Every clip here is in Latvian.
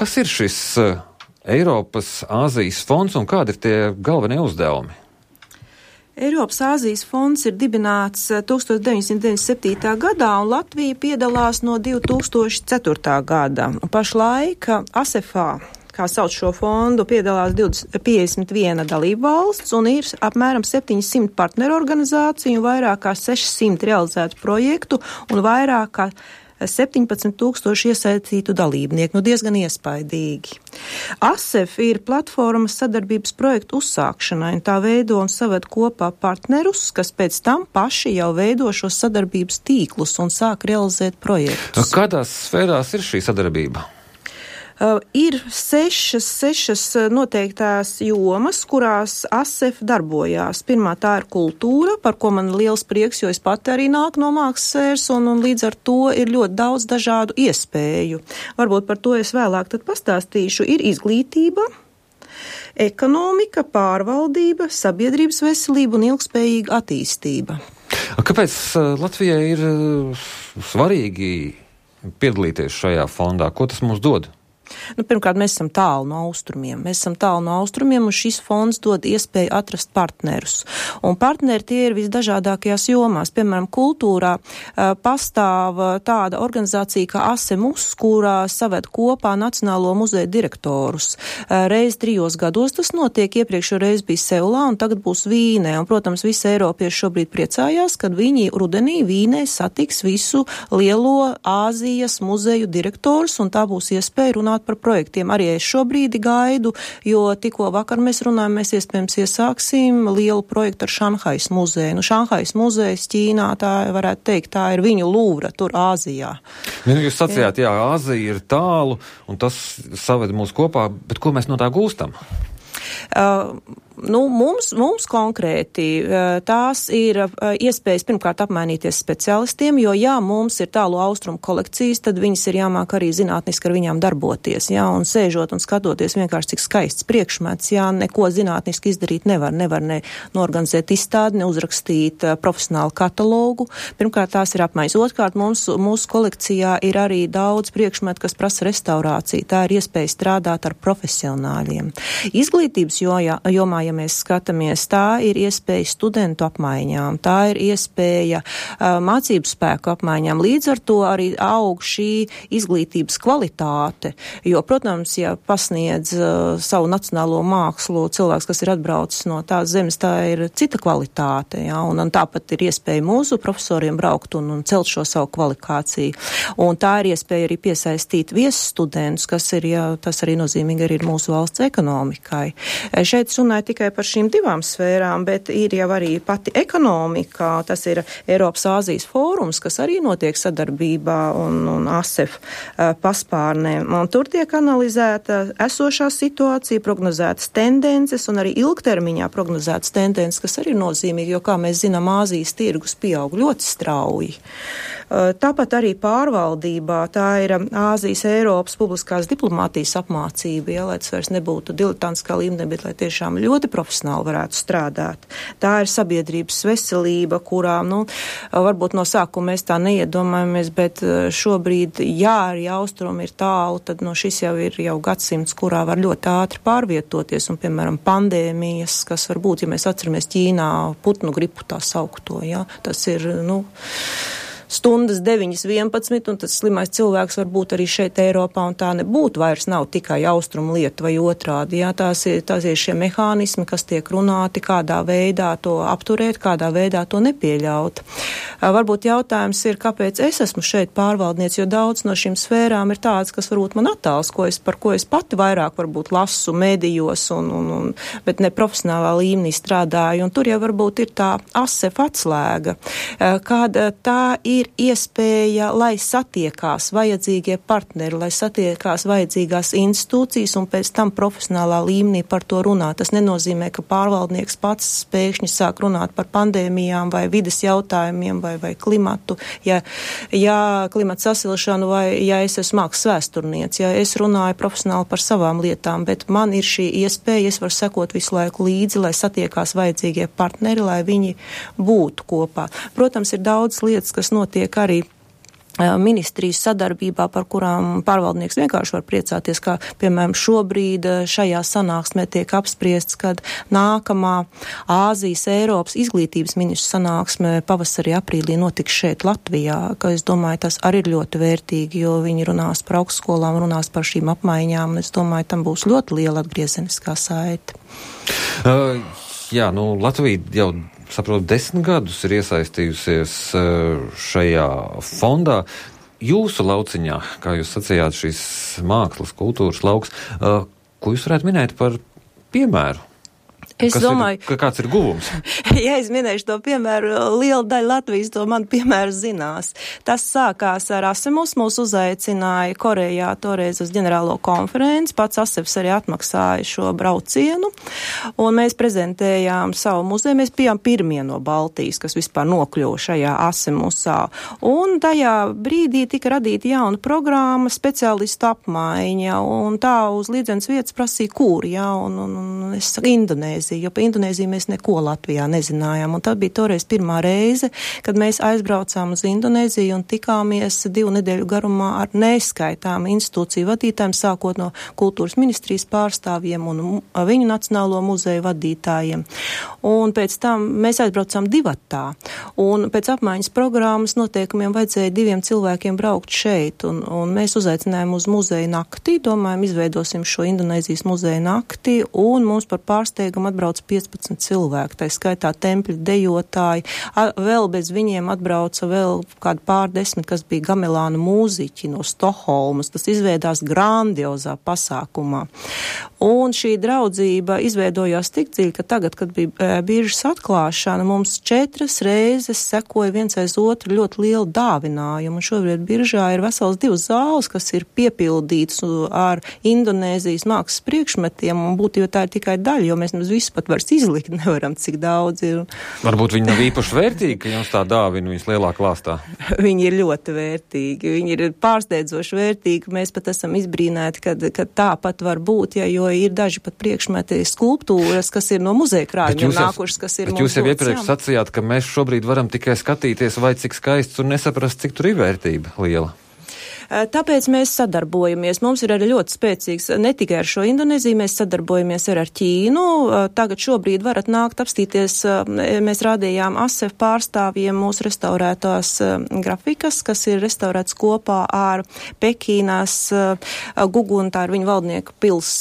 Kas ir šis Eiropas Āzijas fonds un kādi ir tie galvenie uzdevumi? Eiropas Āzijas fonds ir dibināts 1997. gadā, un Latvija piedalās no 2004. gada. Pašlaik ASEFā, kā sauc šo fondu, piedalās 51 dalību valsts, un ir apmēram 700 partneru organizāciju, vairāk kā 600 realizētu projektu un vairāk kā 17,000 iesaistītu dalībnieku. Diezgan iespaidīgi. ASEF ir platformas sadarbības projektu uzsākšanai, un tā veido un saved kopā partnerus, kas pēc tam paši jau veido šos sadarbības tīklus un sāk realizēt projektus. Kādās sfērās ir šī sadarbība? Ir sešas noteiktās jomas, kurās ASEF darbojās. Pirmā tā ir kultūra, par ko man liels prieks, jo es pati arī nāku no mākslas sfēras, un līdz ar to ir ļoti daudz dažādu iespēju. Varbūt par to es vēlāk tad pastāstīšu. Ir izglītība, ekonomika, pārvaldība, sabiedrības veselība un ilgspējīga attīstība. Kāpēc Latvijai ir svarīgi piedalīties šajā fondā? Ko tas mums dod? Pirmkārt, mēs esam tālu no austrumiem. Un šis fonds dod iespēju atrast partnerus. Un partneri tie ir visdažādākajās jomās. Piemēram, kultūrā pastāv tāda organizācija kā ASEMUS, kurā saved kopā Nacionālo muzeju direktorus. Reiz 3 gados tas notiek, iepriekšējo reizi bija Seulā un tagad būs Vīnē. Un, protams, visi eiropieši šobrīd priecājās, kad viņi rudenī Vīnē satiks visu lielo Āzijas muzeju direktorus, un tā būs iespēja runāt par projektiem. Arī es šobrīd gaidu, jo tikko vakar mēs runājam, mēs iespējams iesāksim lielu projektu ar Šanhais muzeju. Šanhais muzejs Ķīnā, tā varētu teikt, tā ir viņu Lūvra tur Āzijā. Jūs sacījāt, jā, Āzija ir tālu, un tas saved mūs kopā, bet ko mēs no tā gūstam? Mums konkrēti tās ir iespējas pirmkārt apmainīties speciālistiem, jo mums ir tālu austrumu kolekcijas, tad viņas ir jāmāk arī zinātniski ar viņām darboties, un sēžot un skatoties vienkārši cik skaists priekšmets, neko zinātniski izdarīt nevar ne norganizēt izstādi, ne uzrakstīt profesionālu katalogu. Pirmkārt, tās ir apmaiņas. Otrkārt, mūsu kolekcijā ir arī daudz priekšmetu, kas prasa restaurāciju. Tā ir iespēja strādāt ar profesionāļiem. Izglītības jomā, ja mēs skatāmies, tā ir iespēja studentu apmaiņām, tā ir iespēja mācību spēku apmaiņām. Līdz ar to arī aug šī izglītības kvalitāte, jo, protams, ja pasniedz savu nacionālo mākslu cilvēks, kas ir atbraucis no tās zemes, tā ir cita kvalitāte, un tāpat ir iespēja mūsu profesoriem braukt un celt šo savu kvalifikāciju. Un tā ir iespēja arī piesaistīt viesstudentus, kas ir, tas arī nozīmīgi arī ir mūsu valsts ekonomikai. Šeit runāja tikai par šīm 2 sfērām, bet ir jau arī pati ekonomika, tas ir Eiropas Āzijas fórums, kas arī notiek sadarbībā un ASEF paspārnē. Un tur tiek analizēta esošā situācija, prognozētas tendences un arī ilgtermiņā prognozētas tendences, kas arī ir nozīmīgi, jo, kā mēs zinām, Āzijas tirgus pieaug ļoti strauji. Tāpat arī pārvaldībā, tā ir Āzijas Eiropas publiskās diplomātijas apmācība, lai tas vairs nebūtu diletantiskā līmenī, bet lai tiešām ļoti profesionāli varētu strādāt. Tā ir sabiedrības veselība, kurā, varbūt no sākuma mēs tā neiedomājamies, bet šobrīd, arī austrumi ir tālu, tad šis jau ir gadsimts, kurā var ļoti ātri pārvietoties, un, piemēram, pandēmijas, kas var būt, ja mēs atceramies Ķīnā putnu gripu tā saukto, tas ir, stundas 9:11, un tas slimais cilvēks var būt arī šeit Eiropā, un tā nebūtu vairs nav tikai austrumu lieta vai otrādi. Tās ir šie mehānismi, kas tiek runāti, kādā veidā to apturēt, kādā veidā to nepieļaut. Varbūt jautājums ir, kāpēc es esmu šeit pārvaldnieks, jo daudz no šīm sfērām ir tādas, kas varbūt man attāls, par ko es pati vairāk varbūt lasu medijos, bet ne profesionālā līmenī strādāju, un tur jau varbūt ir tā ASEF atslēga, kāda tā ir iespēja, lai satiekās vajadzīgie partneri, lai satiekās vajadzīgās institūcijas un pēc tam profesionālā līmenī par to runāt. Tas nenozīmē, ka pārvaldnieks pats pēkšņi sāk runāt par pandēmijām vai vides jautājumiem vai klimatu, ja klimata sasilšanu vai ja es esmu mākslas vēsturniece, ja es runāju profesionāli par savām lietām, bet man ir šī iespēja, es varu sekot visu laiku līdzi, lai satiekās vajadzīgie partneri, lai viņi būtu kopā. Protams, ir daudz lietas, kas notiek arī ministrijas sadarbībā, par kurām pārvaldnieks vienkārši var priecāties, kā, piemēram, šobrīd šajā sanāksmē tiek apspriests, kad nākamā Āzijas Eiropas izglītības ministru sanāksmē pavasarī, aprīlī notiks šeit Latvijā, ka es domāju, tas arī ir ļoti vērtīgi, jo viņi runās par augstskolām, runās par šīm apmaiņām, un es domāju, tam būs ļoti liela atgriezeniskā saite. Jā, Latvija jau saprotu, 10 gadus ir iesaistījusies šajā fondā. Jūsu lauciņā, kā jūs sacījāt, šīs mākslas, kultūras lauks, ko jūs varētu minēt par piemēru? Es domāju, kāds ir guvums? Ja es minēšu to piemēru, liela daļa Latvijas to man piemēru zinās. Tas sākās ar Asemus, mūs uzaicināja Korejā toreiz uz ģenerālo konferenci, pats Asevs arī atmaksāja šo braucienu, un mēs prezentējām savu muzeju, mēs bijām pirmie no Baltijas, kas vispār nokļuva šajā Asemusā, un tajā brīdī tika radīta jauna programma, speciālistu apmaiņa, un tā uz līdzenas vietas prasīja kūri, un es saku Indonēzija, jo pa Indonēziju mēs neko Latvijā nezinājām. Un tā bija toreiz pirmā reize, kad mēs aizbraucām uz Indonēziju un tikāmies 2 nedēļu garumā ar neskaitām institūciju vadītājiem, sākot no kultūras ministrijas pārstāvjiem un viņu nacionālo muzeju vadītājiem. Un pēc tam mēs aizbraucām divatā. Un pēc apmaiņas programmas noteikumiem vajadzēja 2 cilvēkiem braukt šeit. Un mēs uzaicinājām uz muzeju nakti, domājam, izveidosim šo Indonēzijas muzeju nakti, un mums par pārsteigumu atbrauc 15 cilvēki, tā skaitā tempļa dejotāji, vēl bez viņiem atbrauca vēl kādi pārdesmit, kas bija gamelānu mūziķi no Stokholmas, tas izveidās grandiozā pasākumā. Un šī draudzība izveidojās tik dziļi, ka tagad, kad bija biržas atklāšana, mums 4 reizes sekoja viens aiz otru ļoti lielu dāvinājumu, un šobrīd biržā ir vesels 2 zāles, kas ir piepildīts ar Indonēzijas mākslas priekšmetiem, un būtībā tā ir tikai daļa, jo mēs visu pat vairs izlikt nevaram, cik daudz ir. Varbūt viņi nav īpaši vērtīgi, ka jums tā dāvina viņas lielā klāstā? Viņi ir ļoti vērtīgi, viņi ir pārsteidzoši vērtīgi, mēs pat esam izbrīnēti, kad tā pat var būt, jo ir daži pat priekšmeti skulptūras, kas ir no muzeja krājumiem nākušas, kas ir mums dots. Bet jūs jau iepriekš sacījāt, ka mēs šobrīd varam tikai skatīties, vai cik skaists un nesaprast, cik tur ir vērtība liela. Tāpēc mēs sadarbojamies. Mums ir arī ļoti spēcīgs, ne tikai ar šo Indonēziju, mēs sadarbojamies ar Ķīnu. Tagad šobrīd varat nākt apstīties, mēs rādījām ASEF pārstāvjiem mūsu restaurētās grafikas, kas ir restaurēts kopā ar Pekīnās Gugunu, tā ir viņa valdnieku pils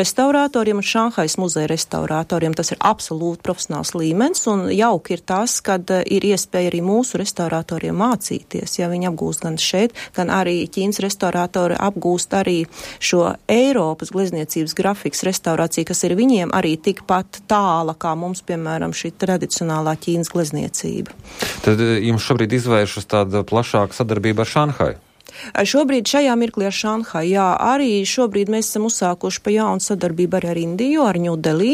restaurātoriem un Šanhais muzeja restaurātoriem. Tas ir absolūti profesionāls līmenis, un jauki ir tas, kad ir iespēja arī mūsu restaurātoriem mācīties, ja viņi apgūst gan šeit, gan arī Ķīnas restaurātori apgūst arī šo Eiropas glezniecības grafikas restaurāciju, kas ir viņiem arī tikpat tāla, kā mums, piemēram, šī tradicionālā Ķīnas glezniecība. Tad jums šobrīd izvēršas tāda plašāka sadarbība ar Šanhaju? Šobrīd šajā mirklī ar Šanhaju, jā, arī šobrīd mēs esam uzsākuši pa jaunu sadarbību arī ar Indiju, ar Ņūdelī.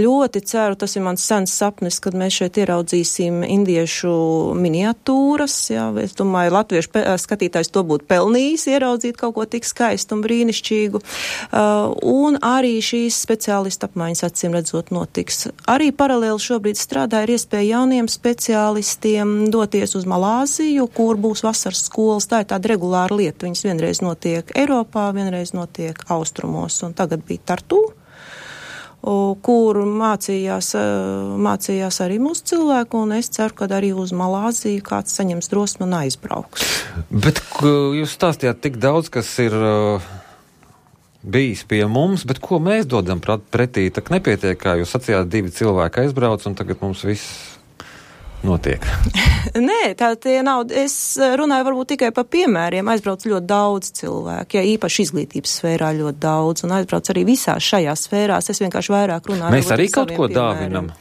Ļoti ceru, tas ir mans sens sapnis, kad mēs šeit ieraudzīsim indiešu miniatūras, jā, es domāju, latviešu skatītājs to būtu pelnījis ieraudzīt kaut ko tik skaistu un brīnišķīgu. Un arī šīs speciālistu apmaiņas acīm redzot notiks. Arī paralēli šobrīd strādā ir iespēja jauniem speciālistiem doties uz Malāziju, kur būs vasaras skolas, tā ir tāda regulāra lieta. Viņas vienreiz notiek Eiropā, vienreiz notiek Austrumos, un tagad bija Tartu, kur mācījās arī mūsu cilvēku, un es ceru, ka arī uz Malāziju kāds saņems drosmi un aizbrauks. Bet jūs stāstījāt tik daudz, kas ir bijis pie mums, bet ko mēs dodam pretī? Tak nepietiek, kā jūs sacījāt, 2 cilvēki aizbrauc, un tagad mums viss notiek. Nē, tā tie nav. Es runāju varbūt tikai par piemēriem. Aizbrauc ļoti daudz cilvēku, ja īpaši izglītības sfērā ļoti daudz, un aizbrauc arī visās šajās sfērās. Es vienkārši vairāk runāju. Mēs arī kaut ko dāvinam.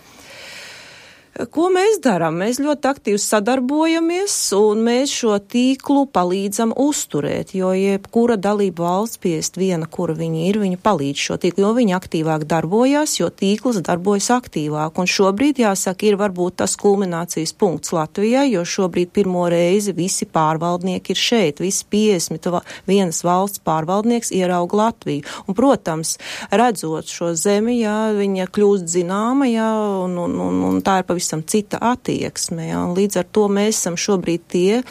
Ko mēs darām? Mēs ļoti aktīvi sadarbojamies, un mēs šo tīklu palīdzam uzturēt, jo jebkura dalība valsts piest viena, kura viņi ir, viņa palīdz šo tīklu, jo viņi aktīvāk darbojās, jo tīkls darbojas aktīvāk. Un šobrīd, jāsaka, ir varbūt tas kulminācijas punkts Latvijai, jo šobrīd pirmo reizi visi pārvaldnieki ir šeit, visi 51 valsts pārvaldnieks ierauga Latviju. Un, protams, redzot šo zemi, jā, viņa kļūst zināma, jā, un tā ir pavisam pavisam cita attieksme. Ja, un līdz ar to mēs esam šobrīd tie,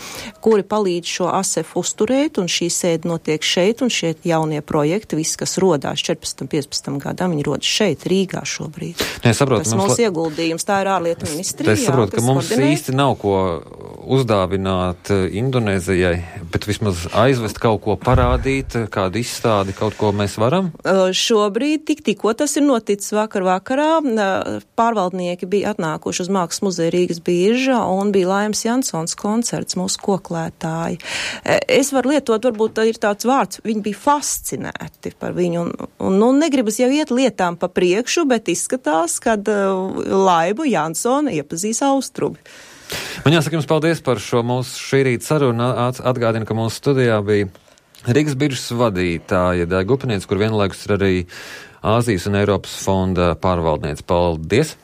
kuri palīdz šo ASEF uzturēt, un šī sēde notiek šeit, un šie jaunie projekti, viss, kas rodās 14, 15 gadam, viņi rodas šeit, Rīgā šobrīd. Saprotu, tas mūsu ieguldījums, tā ir ārlietu ministrija. Es saprotu, ka mums īsti nav ko uzdāvināt Indonēzijai, bet vismaz aizvest kaut ko parādīt, kādu izstādi, kaut ko mēs varam? Šobrīd tikko tas ir noticis vakarā. Pārvaldnieki bija atnākuši uz Mākslas muzeja Rīgas birža un bija Laimas Jansons koncerts, mūsu koklētāji. Es varu lietot, varbūt ir tāds vārds, viņi bija fascinēti par viņu un negribas jau iet lietām pa priekšu, bet izskatās, kad Laibu Jansonu iepazīs Austrumi. Man jāsaka jums paldies par šo mūsu šī rīta sarunu. Atgādinu, ka mūsu studijā bija Rīgas biržas vadītāja Daiga Upiniece, kur vienlaikus ir arī Āzijas un Eiropas fonda pārvaldniece. Paldies!